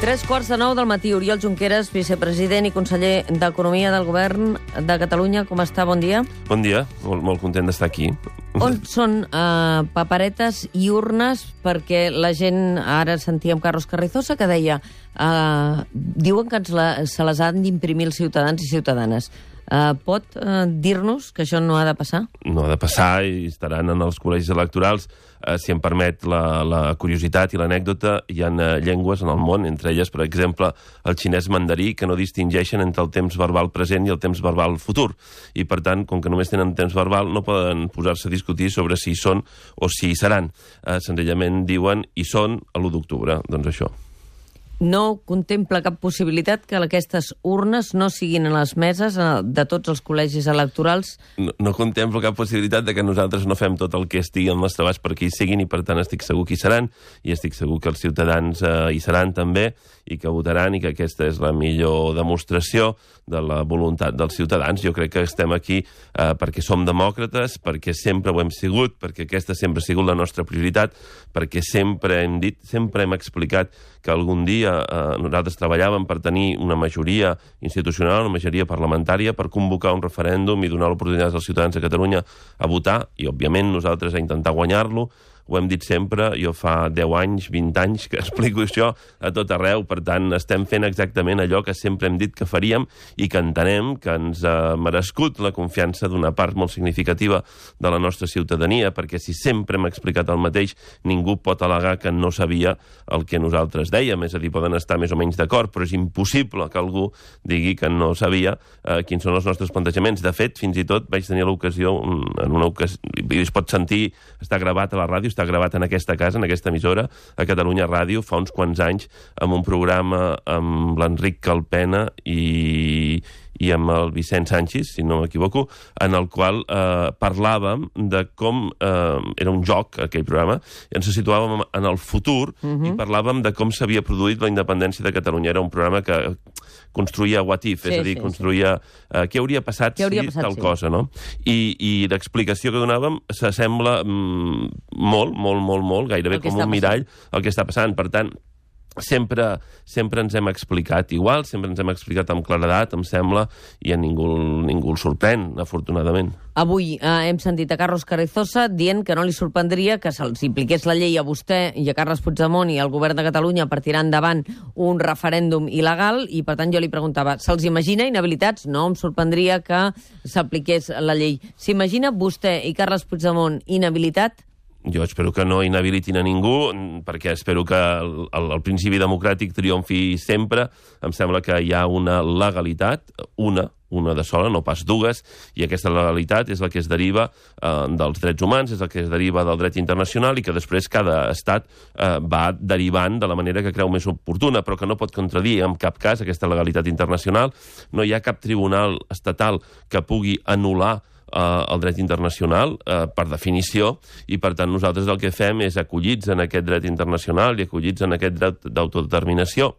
8:45 del matí. Oriol Junqueras, vicepresident i conseller d'Economia del Govern de Catalunya. Com està? Bon dia. Bon dia. Molt content d'estar aquí. On són paperetes i urnes? Perquè la gent... Ara sentíem Carlos Carrizosa que deia diuen que se les han d'imprimir els ciutadans i ciutadanes. Pot dir-nos que això no ha de passar? No ha de passar i estaran en els col·legis electorals. Si em permet la curiositat i l'anècdota, hi ha llengües en el món, entre elles, per exemple, el xinès mandarí, que no distingeixen entre el temps verbal present i el temps verbal futur. I, per tant, com que només tenen temps verbal, no poden posar-se a discutir sobre si hi són o si hi seran. Senzillament diuen hi són a l'1 d'octubre. Doncs això. No contempla cap possibilitat que aquestes urnes no siguin a les meses de tots els col·legis electorals? No contemplo cap possibilitat de que nosaltres no fem tot el que estigui al nostre abast perquè hi siguin, i per tant estic segur que hi seran, i estic segur que els ciutadans hi seran també, i que votaran, i que aquesta és la millor demostració de la voluntat dels ciutadans. Jo crec que estem aquí perquè som demòcrates, perquè sempre ho hem sigut, perquè aquesta sempre ha sigut la nostra prioritat, perquè sempre hem dit, sempre hem explicat que algun dia nosaltres treballàvem per tenir una majoria institucional, una majoria parlamentària, per convocar un referèndum i donar l'oportunitat als ciutadans de Catalunya a votar, i òbviament nosaltres a intentar guanyar-lo. Ho hem dit sempre, jo fa 10 anys, 20 anys que explico això a tot arreu, per tant estem fent exactament allò que sempre hem dit que faríem i que entenem que ens ha merescut la confiança d'una part molt significativa de la nostra ciutadania, perquè si sempre hem explicat el mateix, ningú pot al·legar que no sabia el que nosaltres dèiem, és a dir, poden estar més o menys d'acord, però és impossible que algú digui que no sabia quins són els nostres plantejaments. De fet, fins i tot vaig tenir l'ocasió, en una ocasió, es pot sentir, està gravat a la ràdio, està gravat en aquesta casa, en aquesta emissora, a Catalunya Ràdio, fa uns quants anys, amb un programa amb l'Enric Calpena i amb el Vicent Sánchez, si no m'equivoco, en el qual parlàvem de com... era un joc, aquell programa, i ens situàvem en el futur i parlàvem de com s'havia produït la independència de Catalunya. Era un programa que construïa what if, és a dir, construïa què hauria passat si tal cosa, no? I l'explicació que donàvem s'assembla molt, gairebé com un mirall al que està passant. Per tant, sempre ens hem explicat igual, sempre ens hem explicat amb claredat, em sembla, i a ningú el sorprèn, afortunadament. Avui hem sentit a Carlos Carrizosa dient que no li sorprendria que se'ls impliqués la llei a vostè i a Carles Puigdemont i al govern de Catalunya per tirar endavant un referèndum il·legal, i per tant jo li preguntava, se'ls imagina inhabilitats? No em sorprendria que s'apliqués la llei. S'imagina vostè i Carles Puigdemont inhabilitat? Jo espero que no inhabilitin a ningú, perquè espero que el principi democràtic triomfi sempre. Em sembla que hi ha una legalitat, una de sola, no pas dues, i aquesta legalitat és la que es deriva dels drets humans, és la que es deriva del dret internacional, i que després cada estat va derivant de la manera que creu més oportuna, però que no pot contradir en cap cas aquesta legalitat internacional. No hi ha cap tribunal estatal que pugui anul·lar el dret internacional, per definició, i per tant nosaltres el que fem és acollits en aquest dret internacional i acollits en aquest dret d'autodeterminació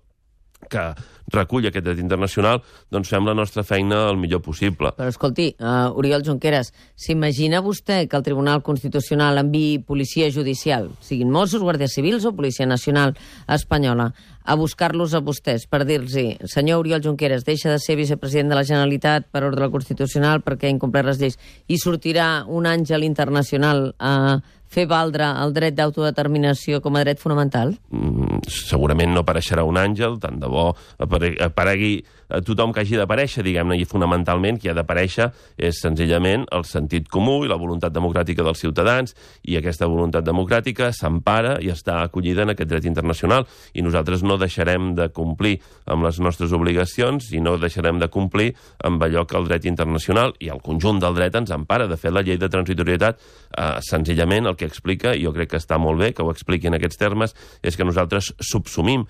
que recull aquest dret internacional, doncs fem la nostra feina el millor possible. Però escolti, Oriol Junqueras, s'imagina vostè que el Tribunal Constitucional enviï policia judicial, siguin Mossos, Guàrdia Civils o Policia Nacional Espanyola, a buscar-los a vostès per dir-los, senyor Oriol Junqueras, deixa de ser vicepresident de la Generalitat per ordre constitucional perquè ha incomplert les lleis, i sortirà un àngel internacional a fer valdre el dret d'autodeterminació com a dret fonamental? Segurament no apareixerà un àngel, tant de bo aparegui tothom que hagi d'aparèixer, diguem-ne, i fonamentalment qui ha d'aparèixer és senzillament el sentit comú i la voluntat democràtica dels ciutadans, i aquesta voluntat democràtica s'empara i està acollida en aquest dret internacional, i nosaltres no deixarem de complir amb les nostres obligacions i no deixarem de complir amb allò que el dret internacional i el conjunt del dret ens empara. De fet, la llei de transitorietat senzillament el que explica, i jo crec que està molt bé que ho expliqui en aquests termes, és que nosaltres subsumim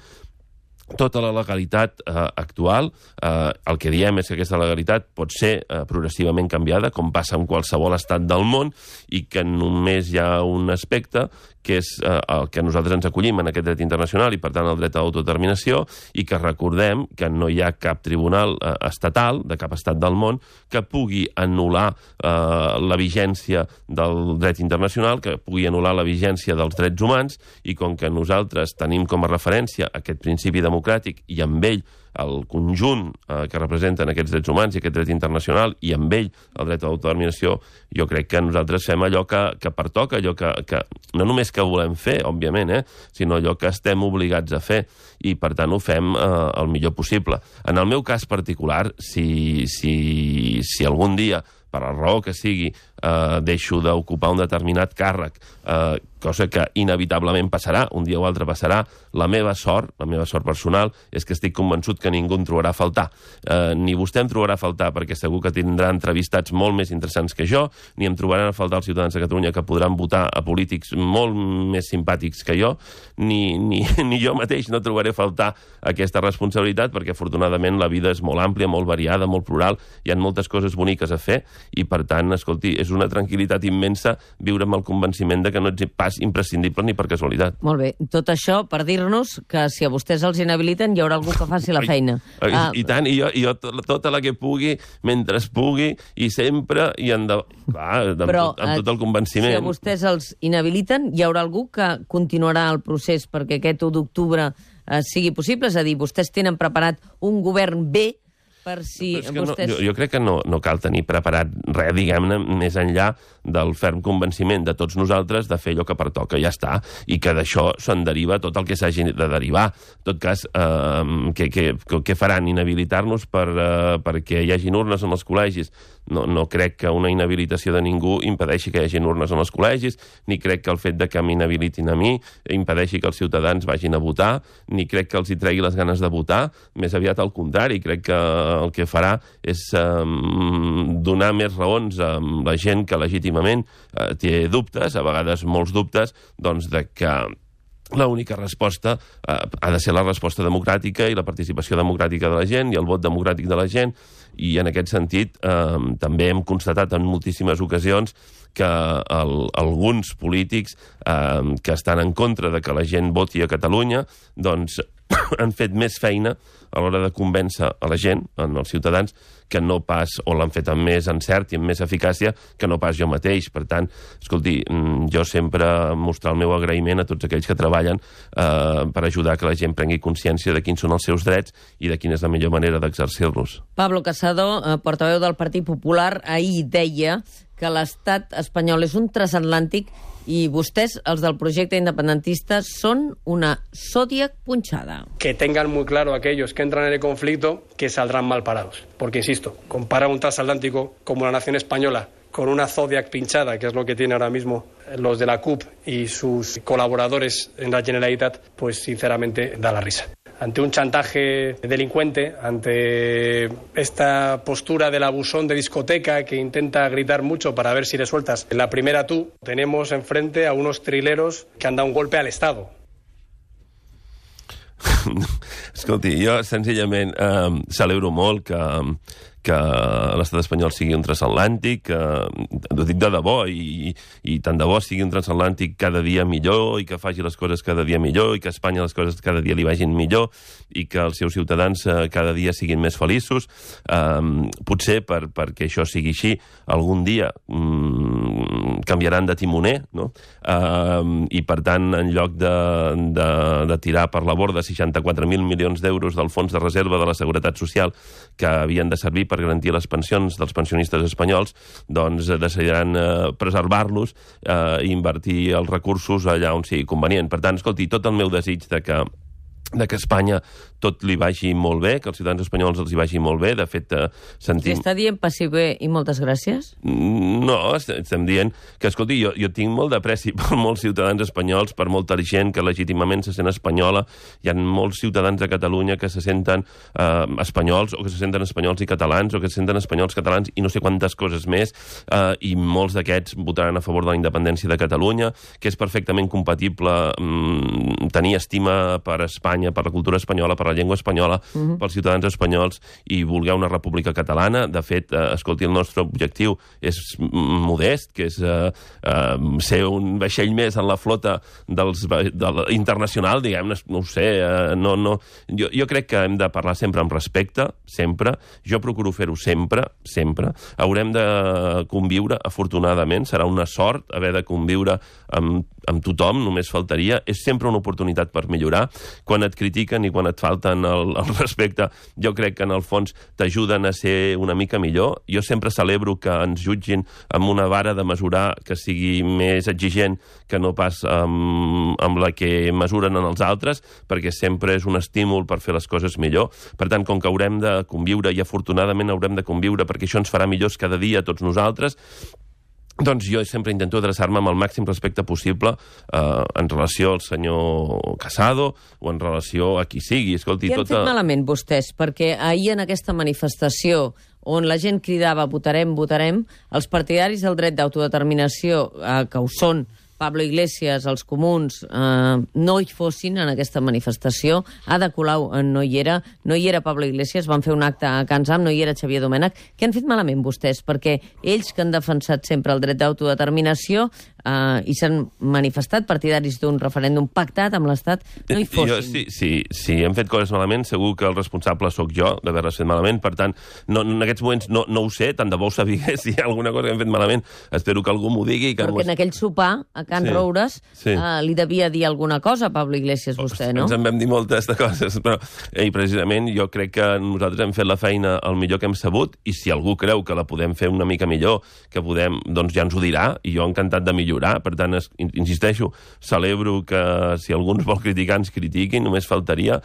tota la legalitat actual. El que diem és que aquesta legalitat pot ser progressivament canviada, com passa en qualsevol estat del món, i que només hi ha un aspecte que és el que nosaltres ens acollim en aquest dret internacional i, per tant, el dret a l'autodeterminació, i que recordem que no hi ha cap tribunal estatal de cap estat del món que pugui anul·lar la vigència del dret internacional, que pugui anul·lar la vigència dels drets humans, i com que nosaltres tenim com a referència aquest principi democràtic democràtic i amb ell el conjunt que representen aquests drets humans i aquest dret internacional i amb ell el dret a l'autodeterminació, jo crec que nosaltres fem allò que pertoca, allò que no només que volem fer, òbviament, sinó allò que estem obligats a fer i per tant ho fem el millor possible. En el meu cas particular, si algun dia per la raó que sigui, deixo d'ocupar un determinat càrrec, cosa que inevitablement passarà, un dia o altre passarà, la meva sort personal, és que estic convençut que ningú em trobarà a faltar. Ni vostè em trobarà a faltar, perquè segur que tindrà entrevistats molt més interessants que jo, ni em trobaran a faltar els ciutadans de Catalunya que podran votar a polítics molt més simpàtics que jo, ni jo mateix no trobaré a faltar aquesta responsabilitat, perquè afortunadament la vida és molt àmplia, molt variada, molt plural, hi ha moltes coses boniques a fer, i per tant, escolti, és una tranquil·litat immensa viure amb el convenciment de que no ets pas imprescindible ni per casualitat. Molt bé. Tot això per dir-nos que si a vostès els inhabiliten hi haurà algú que faci la feina. I tant, i jo tota la que pugui, mentre es pugui, i sempre, i endavant. Clar, amb tot el convenciment. Si a vostès els inhabiliten, hi haurà algú que continuarà el procés perquè aquest 1 d'octubre sigui possible? És a dir, vostès tenen preparat un govern B per si vostès... Jo crec que no cal tenir preparat res, diguem-ne, més enllà del ferm convenciment de tots nosaltres de fer allò que pertoca, ja està, i que d'això se'n deriva tot el que s'hagi de derivar. En tot cas, què faran? Inhabilitar-nos perquè hi hagin urnes en els col·legis? No crec que una inhabilitació de ningú impedeixi que hi hagin urnes en els col·legis, ni crec que el fet de que m'inhabilitin a mi impedeixi que els ciutadans vagin a votar, ni crec que els hi tregui les ganes de votar, més aviat al contrari, crec que el que farà és donar més raons a la gent que legítimament té dubtes, a vegades molts dubtes, doncs de que l'única resposta ha de ser la resposta democràtica i la participació democràtica de la gent i el vot democràtic de la gent, i en aquest sentit també hem constatat en moltíssimes ocasions que alguns polítics que estan en contra de que la gent voti a Catalunya doncs han fet més feina a l'hora de convèncer a la gent, als ciutadans, que no pas, o l'han fet amb més encert i amb més eficàcia, que no pas jo mateix. Per tant, escolti, jo sempre mostrar el meu agraïment a tots aquells que treballen per ajudar que la gent prengui consciència de quins són els seus drets i de quina és la millor manera d'exercir-los. Pablo Casado, portaveu del Partit Popular, ahir deia que l'estat espanyol és un transatlàntic i vostès, els del projecte independentista, són una Zodiac punxada. Que tengan muy claro aquellos que entran en el conflicto que saldrán mal parados. Porque, insisto, comparar un transatlántico como la nación española con una Zodiac pinchada, que es lo que tienen ahora mismo los de la CUP y sus colaboradores en la Generalitat, pues sinceramente da la risa. Ante un chantaje delincuente, ante esta postura del abusón de discoteca que intenta gritar mucho para ver si le sueltas la primera tú, tenemos enfrente a unos trileros que han dado un golpe al Estado. Escolti, jo senzillament celebro molt que l'estat espanyol sigui un transatlàntic, ho dic de debò, i tant de bo sigui un transatlàntic cada dia millor, i que faci les coses cada dia millor, i que a Espanya les coses cada dia li vagin millor, i que els seus ciutadans cada dia siguin més feliços. Potser perquè això sigui així, algun dia canviaran de timoner, no? I per tant, en lloc de tirar per la borda 64.000 milions d'euros del fons de reserva de la Seguretat Social que havien de servir per garantir les pensions dels pensionistes espanyols, doncs decidiran preservar-los i invertir els recursos allà on sigui convenient. Per tant, escolti, tot el meu desig de que Espanya tot li vagi molt bé, que als ciutadans espanyols els hi vagi molt bé. De fet, sentim... Està dient passi bé i moltes gràcies? No, estem dient que, escolti, jo tinc molt d'apreci per molts ciutadans espanyols, per molta gent que legítimament se sent espanyola. Hi ha molts ciutadans de Catalunya que se senten espanyols, o que se senten espanyols i catalans, o que se senten espanyols catalans i no sé quantes coses més, i molts d'aquests votaran a favor de la independència de Catalunya, que és perfectament compatible tenir estima per Espanya, per la cultura espanyola, per la llengua espanyola, pels ciutadans espanyols, i voler una república catalana. De fet, escolti, el nostre objectiu és modest, que és ser un vaixell més en la flota internacional, diguem-ne, no ho sé, jo crec que hem de parlar sempre amb respecte, sempre. Jo procuro fer-ho sempre. Haurem de conviure, afortunadament, serà una sort haver de conviure amb amb tothom, només faltaria, és sempre una oportunitat per millorar. Quan et critiquen i quan et falten el respecte, jo crec que en el fons t'ajuden a ser una mica millor. Jo sempre celebro que ens jutgin amb una vara de mesurar que sigui més exigent que no pas amb la que mesuren en els altres, perquè sempre és un estímul per fer les coses millor. Per tant, com que haurem de conviure, i afortunadament haurem de conviure, perquè això ens farà millors cada dia a tots nosaltres, doncs jo sempre intento adreçar-me amb el màxim respecte possible en relació al senyor Casado o en relació a qui sigui. Escolti, què han fet malament vostès? Perquè ahir en aquesta manifestació on la gent cridava votarem, votarem, els partidaris del dret d'autodeterminació, que ho són, Pablo Iglesias, els comuns, no hi fossin en aquesta manifestació. Ada Colau no hi era Pablo Iglesias, van fer un acte a Can Zam, no hi era Xavier Domènech. Què han fet malament vostès? Perquè ells que han defensat sempre el dret d'autodeterminació i s'han manifestat partidaris d'un referèndum pactat amb l'Estat, no hi fossin. Si hem fet coses malament, segur que el responsable sóc jo d'haver-les fet malament. Per tant, en aquests moments no ho sé, tant de bo ho sabigués, si hi ha alguna cosa que hem fet malament. Espero que algú m'ho digui. Perquè en aquell sopar, a Can Roures, li devia dir alguna cosa a Pablo Iglesias, vostè, no? Ens en vam dir moltes de coses, però precisament jo crec que nosaltres hem fet la feina el millor que hem sabut, i si algú creu que la podem fer una mica millor, que podem, doncs ja ens ho dirà, i jo encantat de millorar. Per tant, insisteixo, celebro que si algú ens vol criticar, ens critiqui, només faltaria,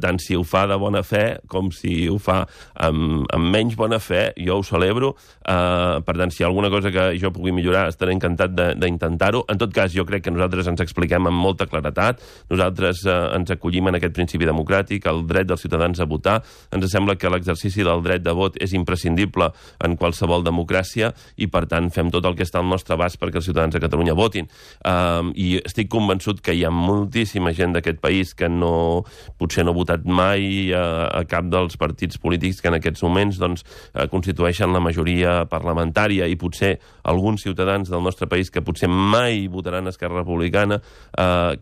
tant si ho fa de bona fe com si ho fa amb menys bona fe, jo ho celebro. Per tant, si hi ha alguna cosa que jo pugui millorar, estaré encantat d'intentar-ho. En tot cas, jo crec que nosaltres ens expliquem amb molta claretat, nosaltres ens acollim en aquest principi democràtic, el dret dels ciutadans a votar. Ens sembla que l'exercici del dret de vot és imprescindible en qualsevol democràcia i, per tant, fem tot el que està al nostre abast perquè els ciutadans de Catalunya votin. I estic convençut que hi ha moltíssima gent d'aquest país que potser no ha votat mai a cap dels partits polítics que en aquests moments constitueixen la majoria parlamentària, i potser alguns ciutadans del nostre país que potser mai votaran a Esquerra Republicana,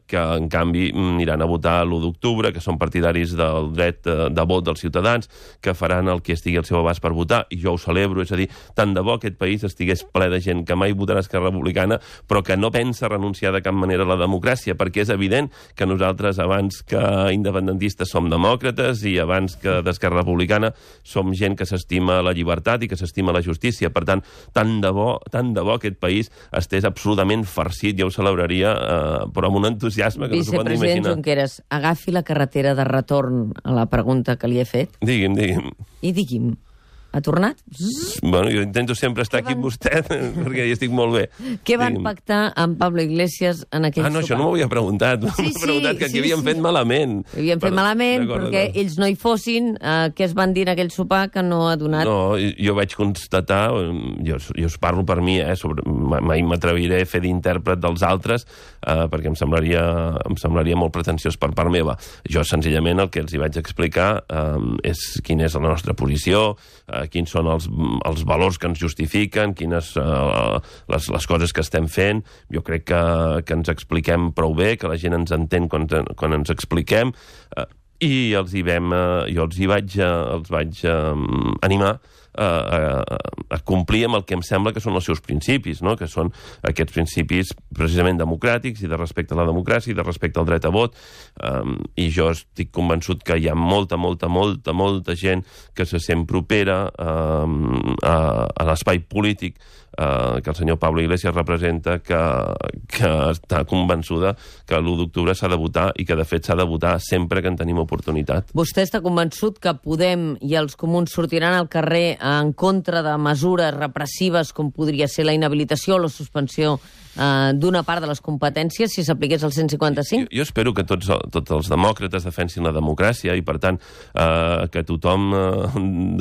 que en canvi aniran a votar l'1 d'octubre, que són partidaris del dret de vot dels ciutadans, que faran el que estigui al seu abast per votar, i jo ho celebro. És a dir, tant de bo aquest país estigués ple de gent que mai votarà a Esquerra Republicana, però que no pensa renunciar de cap manera a la democràcia, perquè és evident que nosaltres, abans que independentistes, som demòcrates, i abans que d'Esquerra Republicana som gent que s'estima la llibertat i que s'estima la justícia. Per tant, tant de bo aquest país estés absolutament farcit, jo ho celebraria, però amb un entusiasme que no s'ho pot imaginar. Vicepresident Junqueras, agafi la carretera de retorn a la pregunta que li he fet. Digui'm. I digui'm, ha tornat? Bueno, jo intento sempre estar aquí amb vostè, perquè hi estic molt bé. Què van pactar amb Pablo Iglesias en aquell sopar? No, això no m'ho havia preguntat. M'havia preguntat que aquí havien fet malament. Havien fet malament perquè ells no hi fossin. Què es van dir en aquell sopar que no ha donat? No, jo vaig constatar, jo us parlo per mi, mai m'atreviré a fer d'intèrpret dels altres, perquè em semblaria molt pretensiós per part meva. Jo, senzillament, el que els hi vaig explicar és quina és la nostra posició, quins són els valors que ens justifiquen, quines les coses que estem fent. Jo crec que ens expliquem prou bé, que la gent ens entén quan ens expliquem, i jo els vaig animar a complir amb el que em sembla que són els seus principis, no? Que són aquests principis precisament democràtics i de respecte a la democràcia i de respecte al dret a vot, i jo estic convençut que hi ha molta gent que se sent propera a l'espai polític que el senyor Pablo Iglesias representa, que està convençuda que l'1 d'octubre s'ha de votar, i que de fet s'ha de votar sempre que en tenim oportunitat. Vostè està convençut que Podem i els comuns sortiran al carrer en contra de mesures repressives com podria ser la inhabilitació o la suspensió d'una part de les competències si s'apliqués el 155? Jo espero que tots els demòcrates defensin la democràcia i, per tant, que tothom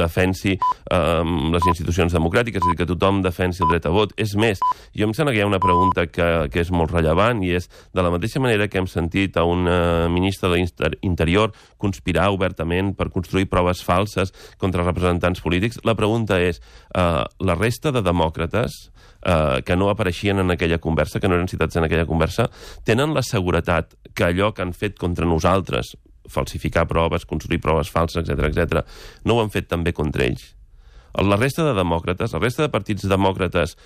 defensi les institucions democràtiques, és a dir, que tothom defensi el dret a vot. És més, jo em sembla que hi ha una pregunta que és molt rellevant, i és, de la mateixa manera que hem sentit a un ministre de l'Interior conspirar obertament per construir proves falses contra representants polítics, la pregunta és, la resta de demòcrates que no apareixien en aquella conversa, que no eren citats en aquella conversa, tenen la seguretat que allò que han fet contra nosaltres, falsificar proves, construir proves falses, etc., no ho han fet també contra ells? La resta de demòcrates, la resta de partits demòcrates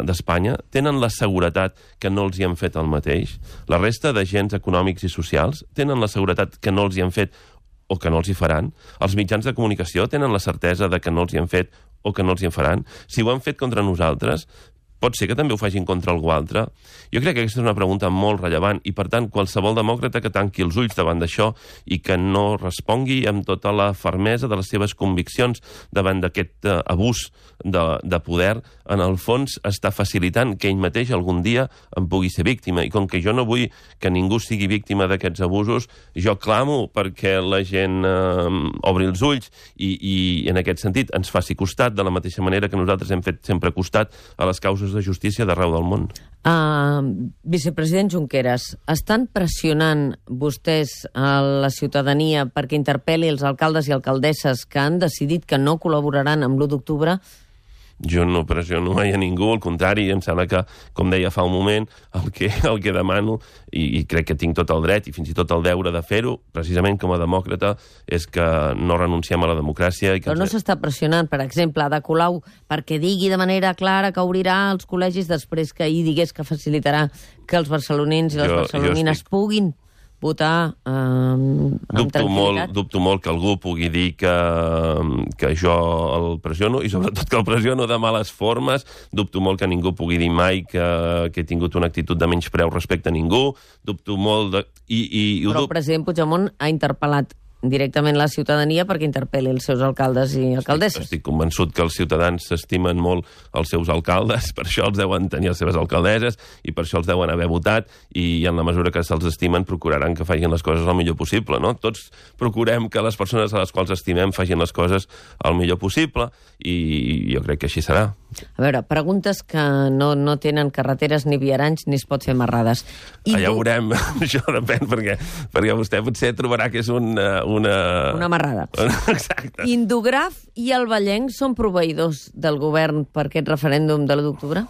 d'Espanya tenen la seguretat que no els hi han fet el mateix. La resta d'agents econòmics i socials tenen la seguretat que no els hi han fet o que no els hi faran. Els mitjans de comunicació tenen la certesa de que no els hi han fet o que no els hi faran. Si ho han fet contra nosaltres, pot ser que també ho facin contra algú altre? Jo crec que aquesta és una pregunta molt rellevant i, per tant, qualsevol demòcrata que tanqui els ulls davant d'això i que no respongui amb tota la fermesa de les seves conviccions davant d'aquest abús de poder, en el fons està facilitant que ell mateix algun dia en pugui ser víctima. I com que jo no vull que ningú sigui víctima d'aquests abusos, jo clamo perquè la gent obri els ulls i en aquest sentit ens faci costat de la mateixa manera que nosaltres hem fet sempre costat a les causes de justícia d'arreu del món. Vicepresident Junqueras, estan pressionant vostès a la ciutadania perquè interpel·li els alcaldes i alcaldesses que han decidit que no col·laboraran amb l'1 d'octubre? Jo no pressiono mai a ningú, al contrari, em sembla que, com deia fa un moment, el que demano, i crec que tinc tot el dret i fins i tot el deure de fer-ho, precisament com a demòcrata, és que no renunciem a la democràcia. Però no s'està pressionant, per exemple, Ada Colau, perquè digui de manera clara que obrirà els col·legis després que ahir digués que facilitarà que els barcelonins i les barcelonines puguin votar amb tranquil·litat. Dubto molt que algú pugui dir que jo el pressiono, i sobretot que el pressiono de males formes. Dubto molt que ningú pugui dir mai que he tingut una actitud de menyspreu respecte a ningú. Dubto molt de... Però el president Puigdemont ha interpel·lat directament la ciutadania perquè interpel·li els seus alcaldes i alcaldesses. Estic convençut que els ciutadans s'estimen molt els seus alcaldes, per això els deuen tenir les seves alcaldesses i per això els deuen haver votat, i en la mesura que se'ls estimen procuraran que facin les coses el millor possible, no? Tots procurem que les persones a les quals estimem facin les coses el millor possible i jo crec que així serà. A veure, preguntes que no tenen carreteres ni viaranys ni es pot fer amarrades. Ja ho veurem, això depèn, perquè vostè potser trobarà que és una amarrada. Exacte. Indograf i el Vallenc són proveïdors del govern per aquest referèndum de l'1 d'octubre?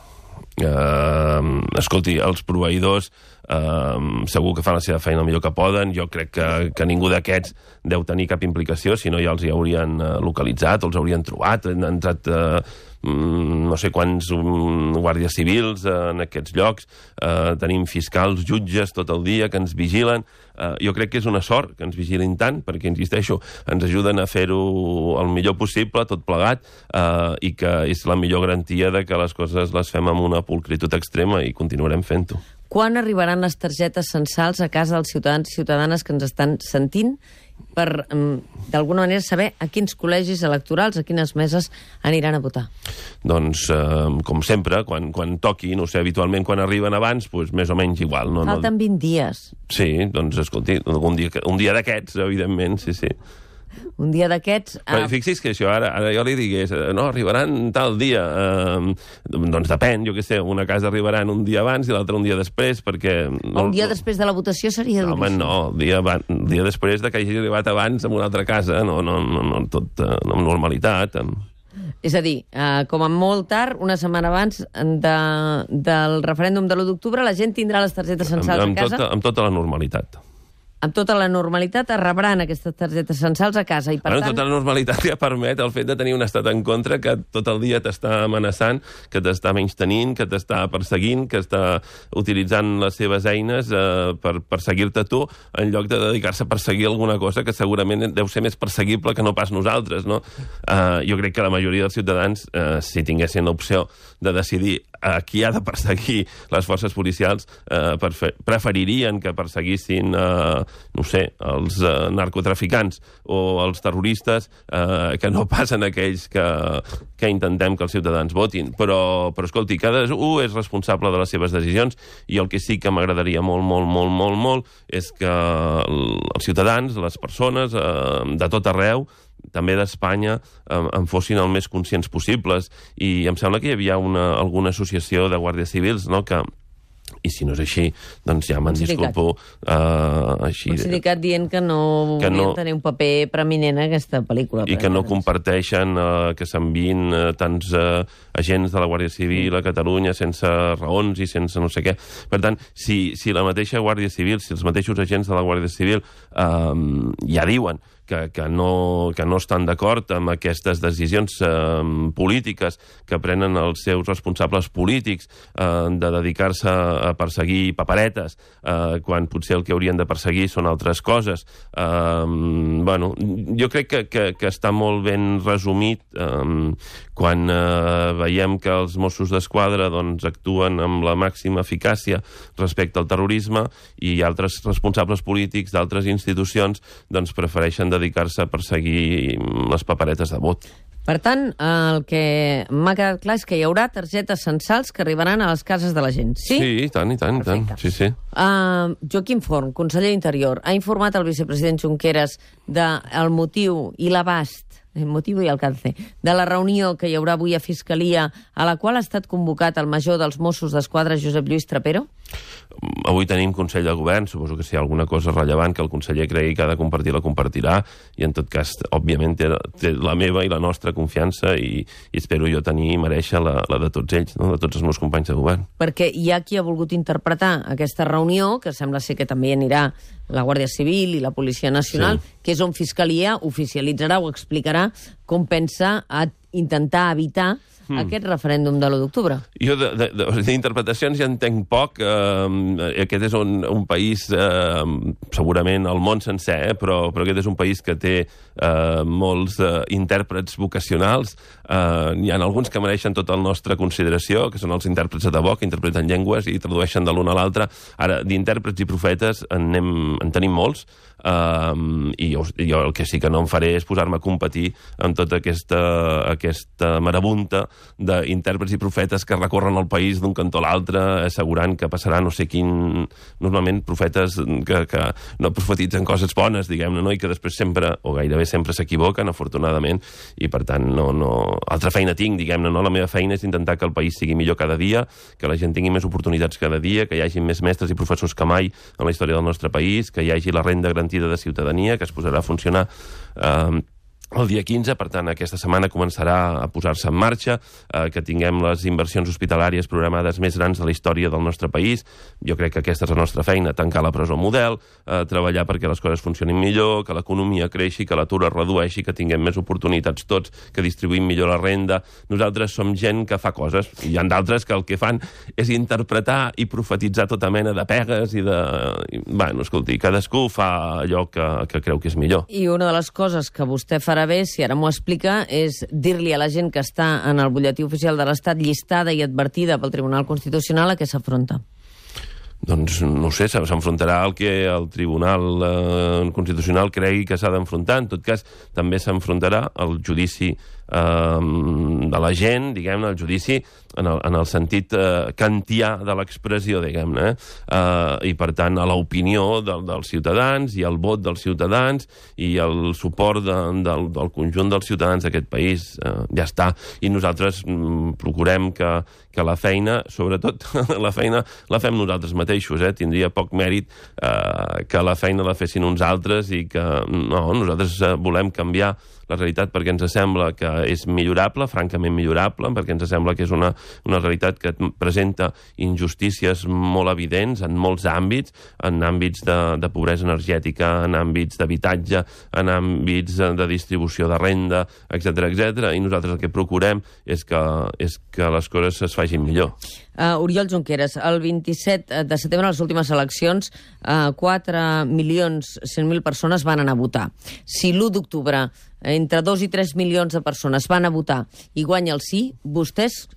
Escolti, els proveïdors segur que fan la seva feina el millor que poden. Jo crec que ningú d'aquests deu tenir cap implicació, si no ja els hi haurien localitzat o els haurien trobat. Han entrat no sé quants guàrdies civils en aquests llocs, tenim fiscals, jutges tot el dia que ens vigilen. Jo crec que és una sort que ens vigilin tant, perquè, insisteixo, ens ajuden a fer-ho el millor possible, tot plegat, i que és la millor garantia de que les coses les fem amb una pulcritud extrema i continuarem fent-ho. Quan arribaran les targetes censals a casa dels ciutadans i ciutadanes que ens estan sentint per, d'alguna manera, saber a quins col·legis electorals, a quines meses aniran a votar? Doncs, com sempre, quan toqui, no sé, habitualment quan arriben abans, doncs més o menys igual. Falten 20 dies. Sí, doncs, escolti, un dia d'aquests, evidentment, sí. Un dia d'aquests... Però fixi's que això, ara jo li digués, no, arribaran tal dia. Doncs depèn, jo què sé, una casa arribaran un dia abans i l'altra un dia després, perquè... Un dia després de la votació seria duríssim. Home, no, el dia després de que hagi arribat abans en una altra casa, no tot amb normalitat. És a dir, com a molt tard, una setmana abans del referèndum de l'1 d'octubre, la gent tindrà les targetes censals a casa? Amb tota la normalitat. Amb tota la normalitat es rebran aquestes targetes censals a casa i, per tant... Tota la normalitat ja permet el fet de tenir un estat en contra que tot el dia t'està amenaçant, que t'està menystenint, que t'està perseguint, que està utilitzant les seves eines per perseguir-te tu, en lloc de dedicar-se a perseguir alguna cosa que segurament deu ser més perseguible que no pas nosaltres, no? Jo crec que la majoria dels ciutadans, si tinguessin l'opció de decidir a qui ha de perseguir les forces policials, preferirien que perseguissin no sé, els narcotraficants o els terroristes, que no passen aquells que intentem que els ciutadans votin. Però escolti, cadascú és responsable de les seves decisions, i el que sí que m'agradaria molt és que els ciutadans, les persones de tot arreu, també d'Espanya, en fossin el més conscients possibles. I em sembla que hi havia alguna associació de guàrdies civils, no?, que, i si no és així, doncs ja me'n disculpo. Un sindicat dient que no volien tenir un paper preeminent en aquesta pel·lícula. I que no comparteixen que s'enviïn tants agents de la Guàrdia Civil a Catalunya sense raons i sense no sé què. Per tant, si la mateixa Guàrdia Civil, si els mateixos agents de la Guàrdia Civil ja diuen que no estan d'acord amb aquestes decisions polítiques que prenen els seus responsables polítics de dedicar-se a perseguir paperetes quan potser el que haurien de perseguir són altres coses. Jo crec que està molt ben resumit quan veiem que els Mossos d'Esquadra actuen amb la màxima eficàcia respecte al terrorisme i altres responsables polítics d'altres institucions prefereixen dedicar-se a perseguir les paperetes de vot. Per tant, el que m'ha quedat clar és que hi haurà targetes censals que arribaran a les cases de la gent, sí? Sí, i tant. Sí. Joaquim Forn, conseller d'Interior, ha informat el vicepresident Junqueras del motiu i l'abast, el motiu i alcance, de la reunió que hi haurà avui a Fiscalia, a la qual ha estat convocat el major dels Mossos d'Esquadra, Josep Lluís Trapero? Avui tenim Consell de Govern, suposo que si hi ha alguna cosa rellevant que el conseller cregui que ha de compartir, la compartirà, i en tot cas, òbviament, té la meva i la nostra confiança i espero jo tenir i mereixer la de tots ells, no? De tots els meus companys de govern. Perquè hi ha qui ha volgut interpretar aquesta reunió, que sembla ser que també anirà la Guàrdia Civil i la Policia Nacional, que és on Fiscalia oficialitzarà o explicarà com pensa intentar evitar aquest referèndum de l'1 d'octubre. Jo d'interpretacions ja entenc poc. Aquest és un país, segurament el món sencer, però aquest és un país que té molts intèrprets vocacionals. Hi ha alguns que mereixen tota la nostra consideració, que són els intèrprets de debò, que interpreten llengües i tradueixen de l'un a l'altre. Ara, d'intèrprets i profetes en tenim molts, i jo el que sí que no em faré és posar-me a competir amb tota aquesta marabunta d'intèrprets i profetes que recorren el país d'un cantó a l'altre assegurant que passarà no sé quin... Normalment profetes que no profetitzen coses bones, diguem-ne, no? I que després sempre, o gairebé sempre s'equivoquen, afortunadament, i per tant altra feina tinc, diguem-ne, no? La meva feina és intentar que el país sigui millor cada dia, que la gent tingui més oportunitats cada dia, que hi hagi més mestres i professors que mai en la història del nostre país, que hi hagi la renda garantida de ciutadania, que es posarà a funcionar el dia 15, per tant, aquesta setmana començarà a posar-se en marxa, que tinguem les inversions hospitalàries programades més grans de la història del nostre país. Jo crec que aquesta és la nostra feina, tancar la presó model, treballar perquè les coses funcionin millor, que l'economia creixi, que l'atur es redueixi, que tinguem més oportunitats tots, que distribuïm millor la renda. Nosaltres som gent que fa coses, i hi ha d'altres que el que fan és interpretar i profetitzar tota mena de pegues i de... Bueno, escolti, cadascú fa allò que creu que és millor. I una de les coses que vostè farà bé, si ara m'ho explica, és dir-li a la gent que està en el butlletí oficial de l'Estat llistada i advertida pel Tribunal Constitucional a què s'afronta. Doncs no sé, s'enfrontarà al que el Tribunal Constitucional cregui que s'ha d'enfrontar. En tot cas, també s'enfrontarà al judici de la gent, diguem-ne, el judici en el sentit kantià de l'expressió, diguem-ne, i per tant a l'opinió dels ciutadans i al vot dels ciutadans i el suport del conjunt dels ciutadans d'aquest país. Ja està. I nosaltres procurem que la feina, sobretot la feina la fem nosaltres mateixos, tindria poc mèrit que la feina la fessin uns altres i que no, nosaltres volem canviar la realitat perquè ens sembla que és millorable, francament millorable, perquè ens sembla que és una realitat que presenta injustícies molt evidents en molts àmbits, en àmbits de pobresa energètica, en àmbits d'habitatge, en àmbits de distribució de renda, etc. I nosaltres el que procurem és que les coses es facin millor. Oriol Junqueras, el 27 de setembre, a les últimes eleccions, 4.100.000 persones van anar a votar. Si l'1 d'octubre entre 2 i 3 milions de persones van a votar i guanya el sí, vostès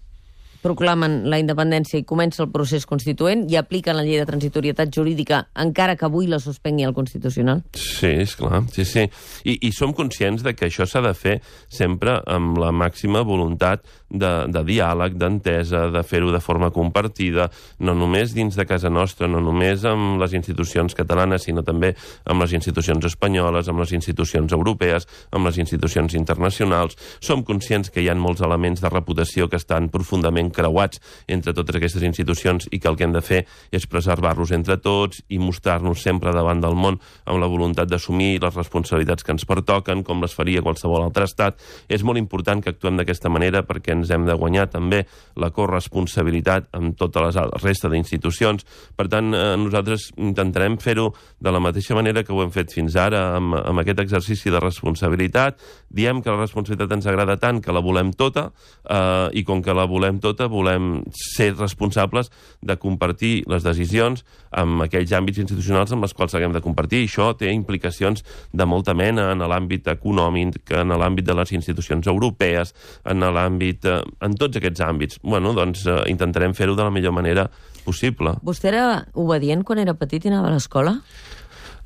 proclamen la independència i comença el procés constituent i apliquen la llei de transitorietat jurídica encara que avui la suspengui el Constitucional? Sí, esclar, sí. I som conscients de que això s'ha de fer sempre amb la màxima voluntat de diàleg, d'entesa, de fer-ho de forma compartida, no només dins de casa nostra, no només amb les institucions catalanes, sinó també amb les institucions espanyoles, amb les institucions europees, amb les institucions internacionals. Som conscients que hi ha molts elements de reputació que estan profundament creuats entre totes aquestes institucions i que el que hem de fer és preservar-los entre tots i mostrar-nos sempre davant del món amb la voluntat d'assumir les responsabilitats que ens pertoquen, com les faria qualsevol altre estat. És molt important que actuem d'aquesta manera perquè ens hem de guanyar també la corresponsabilitat amb tota la resta d'institucions. Per tant, nosaltres intentarem fer-ho de la mateixa manera que ho hem fet fins ara, amb aquest exercici de responsabilitat. Diem que la responsabilitat ens agrada tant que la volem tota, i com que la volem tota, volem ser responsables de compartir les decisions amb aquells àmbits institucionals amb els quals haguem de compartir. I això té implicacions de molta mena en l'àmbit econòmic, en l'àmbit de les institucions europees, en l'àmbit... en tots aquests àmbits. Bueno, doncs intentarem fer-ho de la millor manera possible. Vostè era obedient quan era petit i anava a l'escola?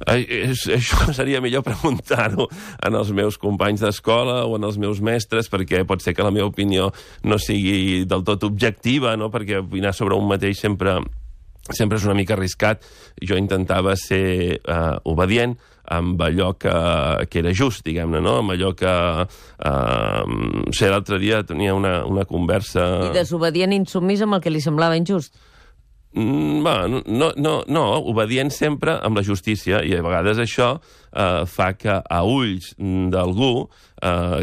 Això seria millor preguntar-ho als meus companys d'escola o als meus mestres, perquè pot ser que la meva opinió no sigui del tot objectiva, no? Perquè opinar sobre un mateix sempre és una mica arriscat. Jo intentava ser obedient amb allò que era just, diguem-ne, no? Amb allò que... l'altre dia tenia una conversa... I desobedient i insubmís amb el que li semblava injust? No, obedient sempre amb la justícia, i a vegades això fa que a ulls d'algú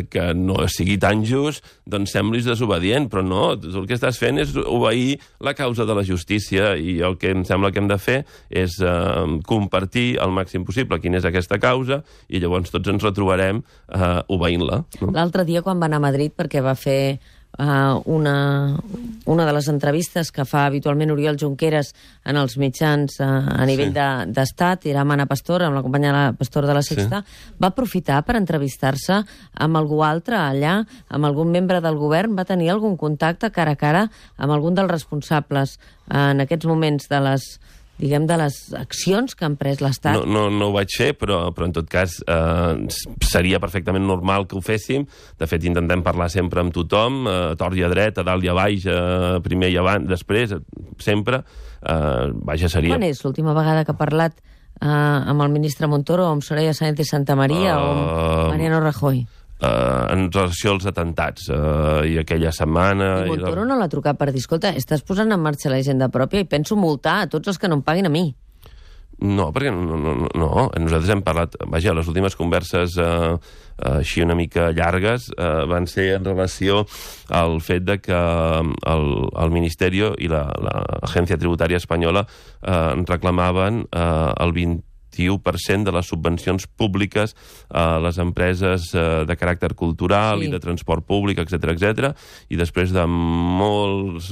que no sigui tan just, doncs semblis desobedient, però no, el que estàs fent és obeir la causa de la justícia, i el que em sembla que hem de fer és compartir al màxim possible quina és aquesta causa, i llavors tots ens retrobarem obeint-la. L'altre dia, quan va anar a Madrid, perquè va fer una de les entrevistes que fa habitualment Oriol Junqueras en els mitjans a nivell d'estat, era amb Anna Pastor, amb la companya Pastor de la Sexta, va aprofitar per entrevistar-se amb algú altre allà, amb algun membre del govern, va tenir algun contacte cara a cara amb algun dels responsables en aquests moments de les accions que han pres l'Estat? No ho vaig fer, però en tot cas seria perfectament normal que ho féssim. De fet, intentem parlar sempre amb tothom, a tort i a dret, a dalt i a baix, primer i abans, després, sempre. Vaja, seria... Quan és l'última vegada que ha parlat amb el ministre Montoro, o amb Soraya Sáenz de Santamaría, o amb Mariano Rajoy? En relació als atentats i aquella setmana... I Montoro no l'ha trucat per dir, escolta, estàs posant en marxa la hisenda pròpia i penso multar a tots els que no em paguin a mi. No, perquè no. Nosaltres hem parlat... Vaja, les últimes converses així una mica llargues van ser en relació al fet de que el Ministeri i l'Agència Tributària Espanyola reclamaven el 21% de les subvencions públiques a les empreses de caràcter cultural i de transport públic, etc. I després de molts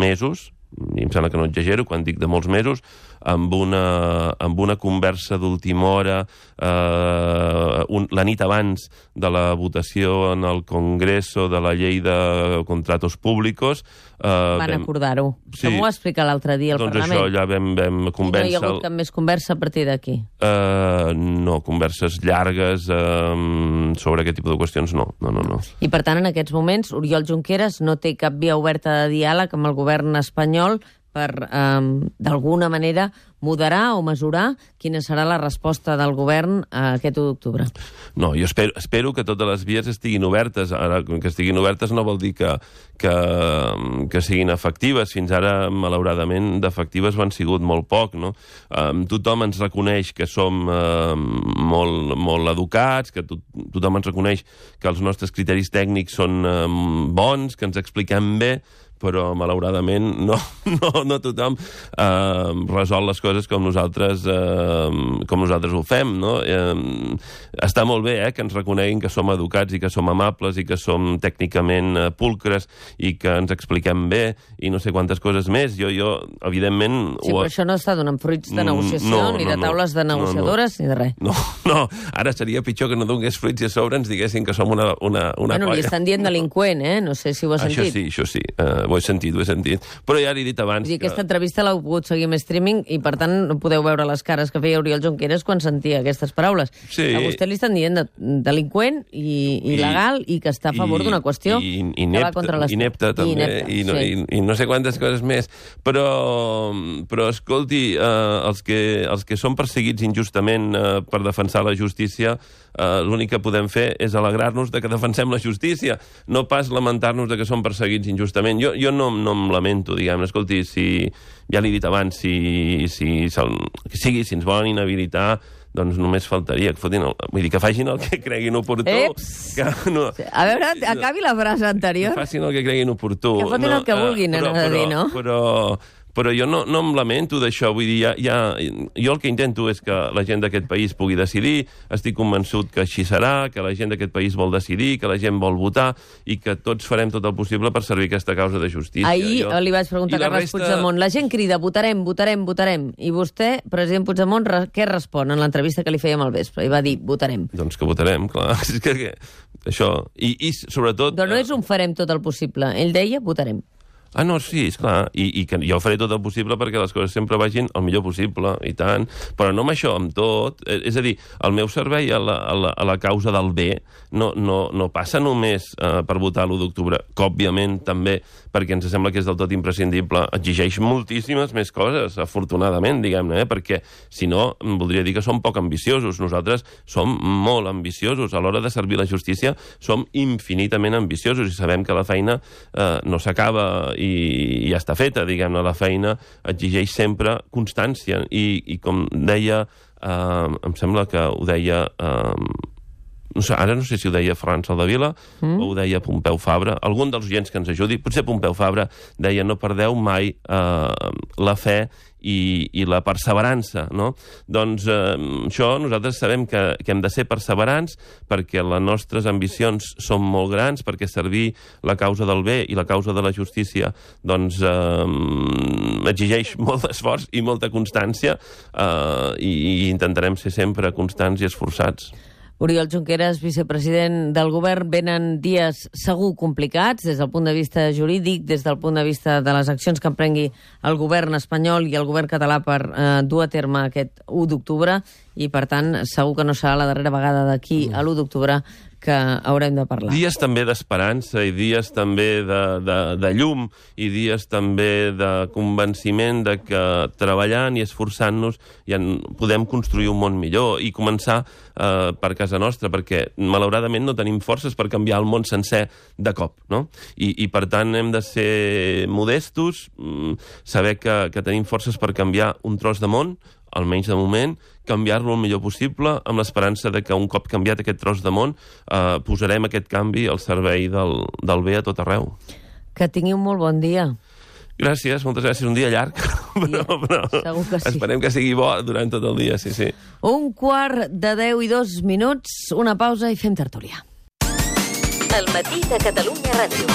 mesos, i em sembla que no exagero quan dic de molts mesos, amb una conversa d'última hora la nit abans de la votació en el Congreso de la llei de contratos públicos. Van acordar-ho. Sí. Com ho va explicar l'altre dia al Parlament? Doncs això ja vam convèncer... I no hi ha hagut cap més conversa a partir d'aquí? No, converses llargues sobre aquest tipus de qüestions no. I per tant, en aquests moments, Oriol Junqueras no té cap via oberta de diàleg amb el govern espanyol per, d'alguna manera, moderar o mesurar quina serà la resposta del govern aquest 1 d'octubre. No, jo espero que totes les vies estiguin obertes. Ara, que estiguin obertes no vol dir que siguin efectives. Fins ara, malauradament, d'efectives ho han sigut molt poc, no? Tothom ens reconeix que som molt educats, que tothom ens reconeix que els nostres criteris tècnics són bons, que ens expliquem bé, però malauradament no tothom resol les coses com nosaltres ho fem, no? Està molt bé que ens reconeguin que som educats i que som amables i que som tècnicament pulcres i que ens expliquem bé i no sé quantes coses més. Jo evidentment... Sí, però això no està donant fruits de negociació, ni de taules de negociadores, ni de res. No, ara seria pitjor que no donés fruits i a sobre ens diguessin que som una Bueno, li estan dient delinqüent, no sé si ho ha sentit. Això sí. Ho he sentit. Però ja l'he dit abans... Vull dir, aquesta entrevista l'heu pogut seguir amb streaming i, per tant, no podeu veure les cares que feia Oriol Junqueras quan sentia aquestes paraules. Sí. A vostè li estan dient delinqüent i il·legal i que està a favor d'una qüestió que va contra l'Estat. Inepte, també, i no sé quantes coses més. Però escolti, els que són perseguits injustament per defensar la justícia, l'únic que podem fer és alegrar-nos de que defensem la justícia, no pas lamentar-nos de que som perseguits injustament. Jo no em lamento, diguem-ne. Escolti, ja l'he dit abans, si ens volen inhabilitar, doncs només faltaria que fotin vull dir, que facin el que creguin oportú. Que no, a veure, acabi la frase anterior. Que facin el que creguin oportú. Que fotin el que vulguin, però jo no em lamento d'això. Vull dir, jo el que intento és que la gent d'aquest país pugui decidir. Estic convençut que així serà, que la gent d'aquest país vol decidir, que la gent vol votar i que tots farem tot el possible per servir aquesta causa de justícia. Ahir li vaig preguntar a Carles Puigdemont, la gent crida, votarem. I vostè, president Puigdemont, què respon en l'entrevista que li fèiem al vespre? I va dir, votarem. Doncs que votarem, clar. És que això... I sobretot... Però no és un farem tot el possible. Ell deia, votarem. No, sí, esclar, i que jo faré tot el possible perquè les coses sempre vagin el millor possible, i tant, però no amb això, amb tot. És a dir, el meu servei a la causa del bé no passa només per votar l'1 d'octubre, que òbviament també, perquè ens sembla que és del tot imprescindible, exigeix moltíssimes més coses, afortunadament, diguem-ne, perquè si no, voldria dir que som poc ambiciosos. Nosaltres som molt ambiciosos. A l'hora de servir la justícia som infinitament ambiciosos i sabem que la feina no s'acaba i ja està feta, diguem-ne, la feina exigeix sempre constància i com deia, em sembla que ho deia... ara no sé si ho deia Ferran Soldevila o ho deia Pompeu Fabra, algun dels oients que ens ajudi, potser Pompeu Fabra deia no perdeu mai la fe i la perseverança, no? Doncs això nosaltres sabem que hem de ser perseverants perquè les nostres ambicions són molt grans, perquè servir la causa del bé i la causa de la justícia doncs exigeix molt d'esforç i molta constància i intentarem ser sempre constants i esforçats. Oriol Junqueras, vicepresident del govern, venen dies segur complicats des del punt de vista jurídic, des del punt de vista de les accions que emprengui el govern espanyol i el govern català per dur a terme aquest 1 d'octubre i, per tant, segur que no serà la darrera vegada d'aquí a l'1 d'octubre que haurem de parlar. Dies també d'esperança i dies també de llum i dies també de convenciment de que treballant i esforçant-nos ja podem construir un món millor i començar per casa nostra, perquè malauradament no tenim forces per canviar el món sencer de cop, no? I per tant hem de ser modestos, saber que tenim forces per canviar un tros de món, almenys de moment, canviar-lo el millor possible, amb l'esperança de que un cop canviat aquest tros de món posarem aquest canvi al servei del bé a tot arreu. Que tingui un molt bon dia. Gràcies, moltes gràcies. Un dia llarg, però segur que sí. Esperem que sigui bo durant tot el dia, sí. 1:10:02, una pausa i fem tertúlia. El matí de Catalunya Ràdio.